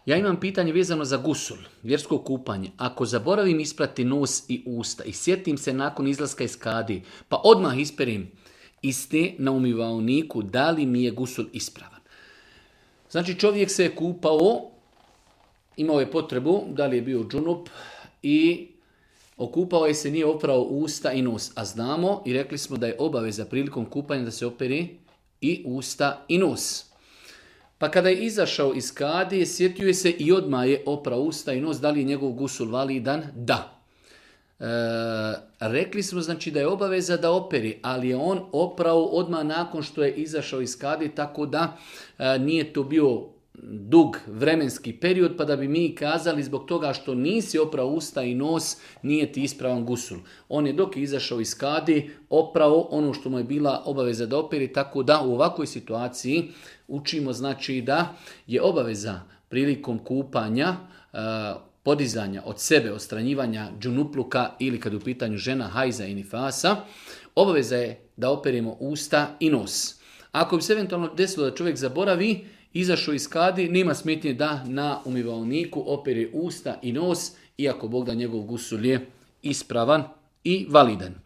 Ja imam pitanje vezano za gusul, vjersko kupanje. Ako zaboravim isprati nos i usta i sjetim se nakon izlaska iz kadi, pa odmah isperim iste na umivaoniku, da li mi je gusul ispravan? Znači čovjek se je kupao, imao je potrebu, da li je bio džunup i okupao je se, nije oprao usta i nos. A znamo i rekli smo da je obaveza prilikom kupanja da se operi i usta i nos. Pa kada je izašao iz kadije, sjetio je se i odmah je oprao usta i nos, da li je njegov gusul validan? Da. Rekli smo znači da je obaveza da operi, ali je on oprao odmah nakon što je izašao iz kadije, tako da nije to bio dug vremenski period, pa da bi mi kazali zbog toga što nisi oprao usta i nos, nije ti ispravan gusul. On je dok je izašao iz kadi oprao ono što mu je bila obaveza da operi, tako da u ovakvoj situaciji učimo znači da je obaveza prilikom kupanja, podizanja od sebe, odstranjivanja džunupluka ili kad u pitanju žena hajza i nifasa, obaveza je da operimo usta i nos. Ako bi se eventualno desilo da čovjek zaboravi, izašao iz kadi, nema smetnje da na umivaoniku opere usta i nos, iako Bog da njegov gusul je ispravan i validan.